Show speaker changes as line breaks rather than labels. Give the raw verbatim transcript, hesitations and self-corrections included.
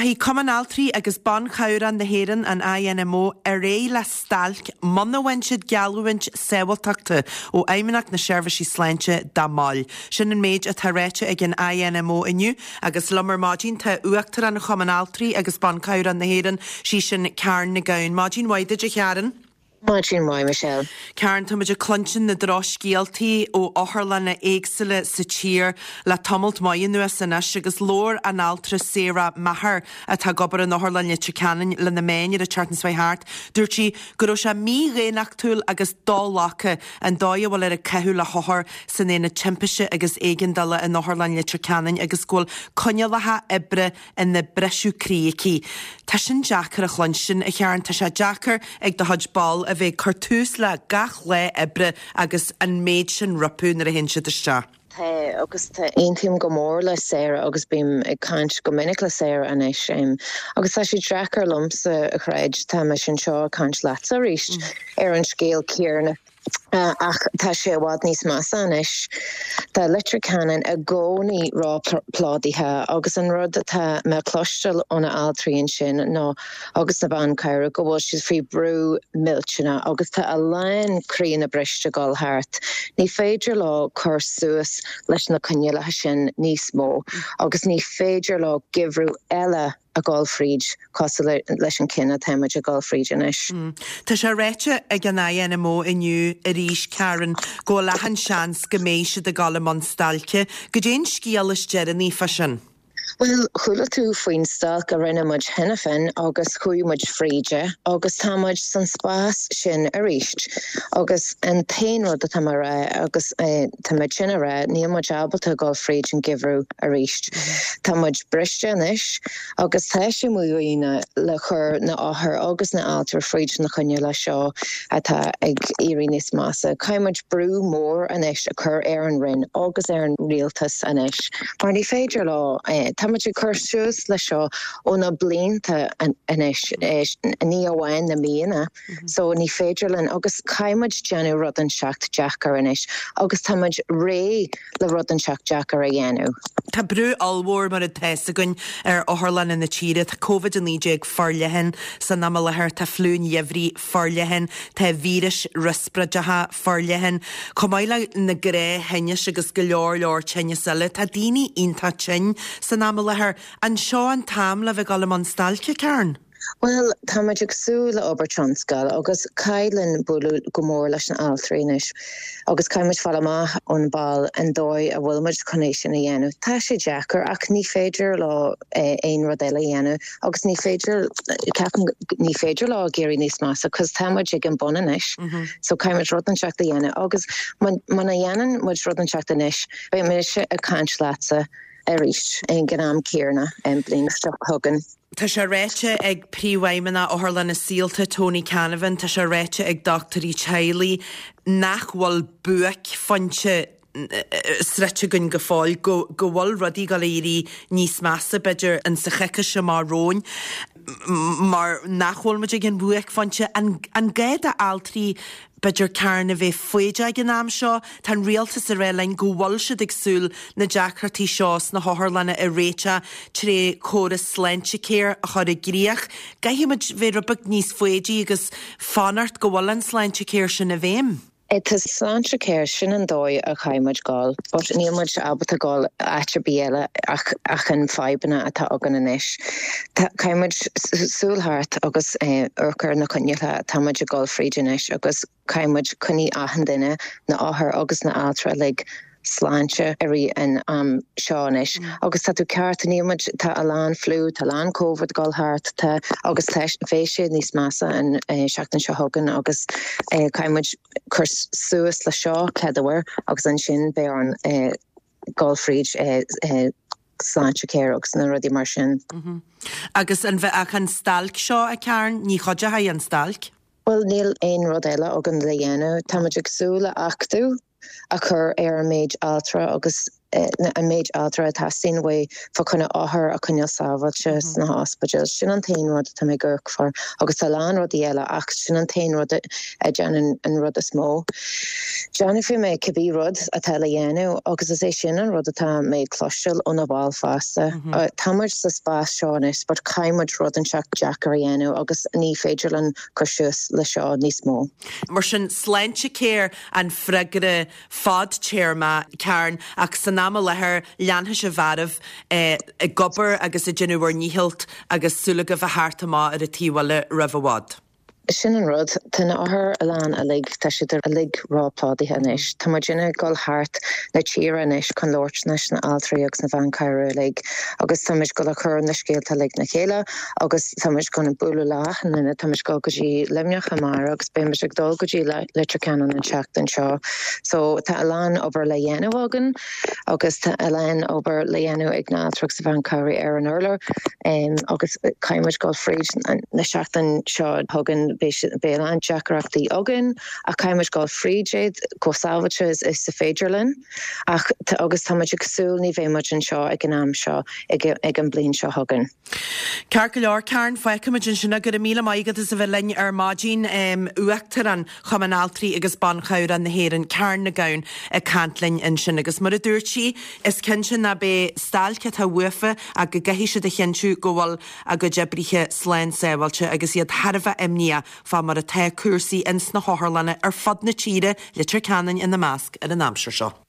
Rachaidh Cumann Altraí agus Ban Cabhrach na hÉireann an INMO ar aghaidh le stailc muna bhfaigheann siad geallúint sábháilteachta ó Fheidhmeannacht na Seirbhísí Sláinte dá mbaill. Sin an méid atá ráite ag an INMO inniu agus liom ar maidin tá Uachtarán Chumann Altraí agus Ban Cabhrach na hÉireann sí sin Karen Nic Gabhann. Maidin mhaith duit a Karen.
Maidin mhaith Michelle.
Karen táimid ag cluinstin na drochscéaltaí ó otharlanna éagsúla sa tír le tamalt maith anuas anois agus labhair an altra Sarah Maher atá ag obair in Otharlann Leitir Ceanainn le na meáin ar an tseachtain seo thart. Dúirt sí go raibh sé mídhaonnachtúil agus do-ghlactha an dóigh a bhfuil ar a caitheamh le hothair san aonad timpiste agus éigeandála in Otharlann Leitir Ceanainn agus go bhfuil coinníollacha oibre ina briseadh croí aici. Tá sin deacair a chluinstin a Karen tá sé deacair ag do chuid ball a bheith cur tús le gach lá oibre agus an méid sin rompu nuair a théann siad isteach.
Tá agus tá aontaím go mór le Sarah agus bím ag caint go minic le Sarah anois um, agus tá sé deacair liomsa a chreidiúint tá mé anseo ag caint leatsa arís mm. ar an scéal céanna. Uh, ach tá sé i bhfad níos measa anois Tá Leitir Ceanainn i gcónaí róphlódaithe agus an rud atá mé cloisteáil ó na altraí sin ná agus na ban cabhrach go bhfuil siad faoi brú millteanach agus tá a lán croíthe briste ag dul thart. Ní féidir leo cur suas leis na coinníollacha sin níos mó agus ní féidir leo geimhreadh eile a ghabháil fríd cosúil leis an gceann atáimid ag gabháil fríd anois.
Mm. Tá sé ráite ag an INMO inniu arís Karen go bhfuil achan seans go mbeidh siad ag dul i mbun stailce, Cad é an scéal is deireanaí fá sin.
Well chuala tú faoin stailc a rinne muid cheana féin agus chuaigh muid fríd agus tá muid san spás sin arís. agus an t-aon rud atá mé rá agus eh, tá muid sin rá níl muid ábalta dul fríd an geimhreadh arís. Mm -hmm. Tá muid briste anois agus tá sé mídhaonna le chur na hothair agus na altraí fríd na coinníollacha seo atá ag éirí níos measa. Caithfidh muid brú mór anois a chur ar an Roinn agus ar an rialtas anois. Mar ní féidir leo eh, Tá muid ag cur suas le seo ó na blianta anois ní amháin na míonna, mhm. so ní féidir linn agus caithfidh muid déanamh rud inteacht deacair anois agus tá muid réidh le rud inteacht deacair a dhéanamh.
Tá brú ollmhór mar atá againn ar otharlanna na tíre tá COVID a naoi déag forleathan san am i láthair tá fliú an gheimhridh forleathan tá víris riospráideacha forleathan, Chomh maith le na gnáththinnis agus go leor leor tinnis eile, tá daoine iontach tinn san am i láthair an seo an t-am le bheith ag dul i mbun stailce Karen.
Well tá muid ag súil le obair tionscail agus caithfidh muid bualadh go mór leis na altraí anois agus caithfidh muid fáil amach ón ball an dóigh a bhfuil muid chun é sin a dhéanamh. Tá sé deacair ach ní féidir leo eh, aon rud eile dhéanamh agus ní féidir ní féidir leo éirí níos measa cos tá muid ag an bun anois. Mm -hmm. So caithfidh muid rud inteacht a dhéanamh agus muna dhéanann muid rud inteacht anois beidh mise ag caint leatsa arís ag an am céanna an bhliain seo chugainn.
Tá sé ráite ag príomhfheidhmeannach Otharlanna Saolta Tony Canavan, tá sé ráite ag dochtúirí teaghlaigh nach bhfuil buaicphointe sroichte againn go fóill go go bhfuil rudaí ag éirí níos measa b'fhéidir an sa choicís amach romhainn mar nach bhfuil muid ag an bhuaicphointe an an gá d'altraí b'fhéidir Karen a bheith foighdeach ag an am seo, Tá an rialtas ag rá linn go bhfuil siad ag súil na deacrachtaí seo sna hotharlanna a réiteach trí chóras Sláintecare a chur i gcrích. Caithfidh muid bheith rud beag níos foighidí agus fanacht go bhfuil an Sláintecare sin i bhfeidhm.
Tá Sláintecare sin an dóigh a chaithfidh muid dul, but níl muid ábalta dul áit ar bith eile ach ach an fadhbanna atá againn anois. Caithfidh muid súil thart agus amharc ar na coinníollacha tá muid ag dul fríd anois agus caithfidh muid coinneáil achan duine na hothair agus na altraí le sláinte i rith an am seo anois. Mm. agus tá tú ceart níl muid tá a lán fliú tá lán COVID ag dul thart tá agus beidh sé níos measa an eh, seachtain seo chugainn agus eh, caithfidh muid cur suas le seo ceadúir agus ansin beidh an eh, dul fríd eh, eh, Sláintecare agus na rudaí mar sin.
Mm -hmm. Agus an bheith ach an stailc seo a Karen ní chuideoidh an stailc?
Well níl aon rud eile againn le dhéanamh Tá muid ag súil le achtú a chur ar an méid altra agus an méid altra a theastaíonn uaidh fá choinne othair a choinneáil sábháilte sna hospidéil. Sin an t-aon rud atá mé ag amharc fá agus tá lán rudaí eile ach sin an t-aon rud a dhéanann an rud is mó. Déanfaidh mé cibé rud atá le dhéanamh agus is é sin an rud atá mé ag cloisteáil ó na baill fosta. Tá muid sa spás seo anois, but caithfidh muid rud inteacht deacair a dhéanamh agus ní féidir linn cur suas le seo níos mó.
Mar sin Sláintecare an freagra fadtéarma Karen ach san am i láthair leanfaidh sibh oraibh eh, ag obair agus ag déanamh bhur ndícheall agus súil agaibh a theacht amach ar an taobh eile roimh i bhfad.
Sin an rud Tá na hotharlanna uilig tá siad uilig ró-phlódaithe anois. Tá muid ag dul thart na tíre anois chun labhairt leis na altraí agus na ban cabhrach uilig agus tá muid ag cur na scéalta uilig le chéile agus tá muid chun bualadh le na tá muid go dtí Luimneach amárach agus beimid ag dul go dtí Leitir Ceanainn an tseachtain seo. So tá a lán obair le dhéanamh againn agus tá a lán obair le dhéanamh ag na haltraí agus ban cabhrach ar an urlár um, agus caithfimid dul fríd na seachtain seo chugainn beidh an deacrachtaí againn ach caithfimid dul fríd iad go sábháilte is is féidir linn ach agus tá ag súil ní bheimid anseo ag an am seo ag, ag an bliain seo chugainn.
Ceart go leor Karen feicfimid ansin go raibh míle maith agat as a bheith linn ar maidin um, Uachtarán Chumann Altraí agus Ban Cabhrach na hÉireann Karen Nic Gabhann ag caint linn ansin agus mar a dúirt sí is cinnte nach mbeidh stailc atá uafa ach go gcaithfidh siad a chinntiú go bhfuil a gcuid oibrithe slán sábháilte agus iad thar a bheith imníoch fá mar atá cúrsaí ins na hotharlanna ar fud na tíre Leitir Ceanainn ina measc ar an aimsir seo.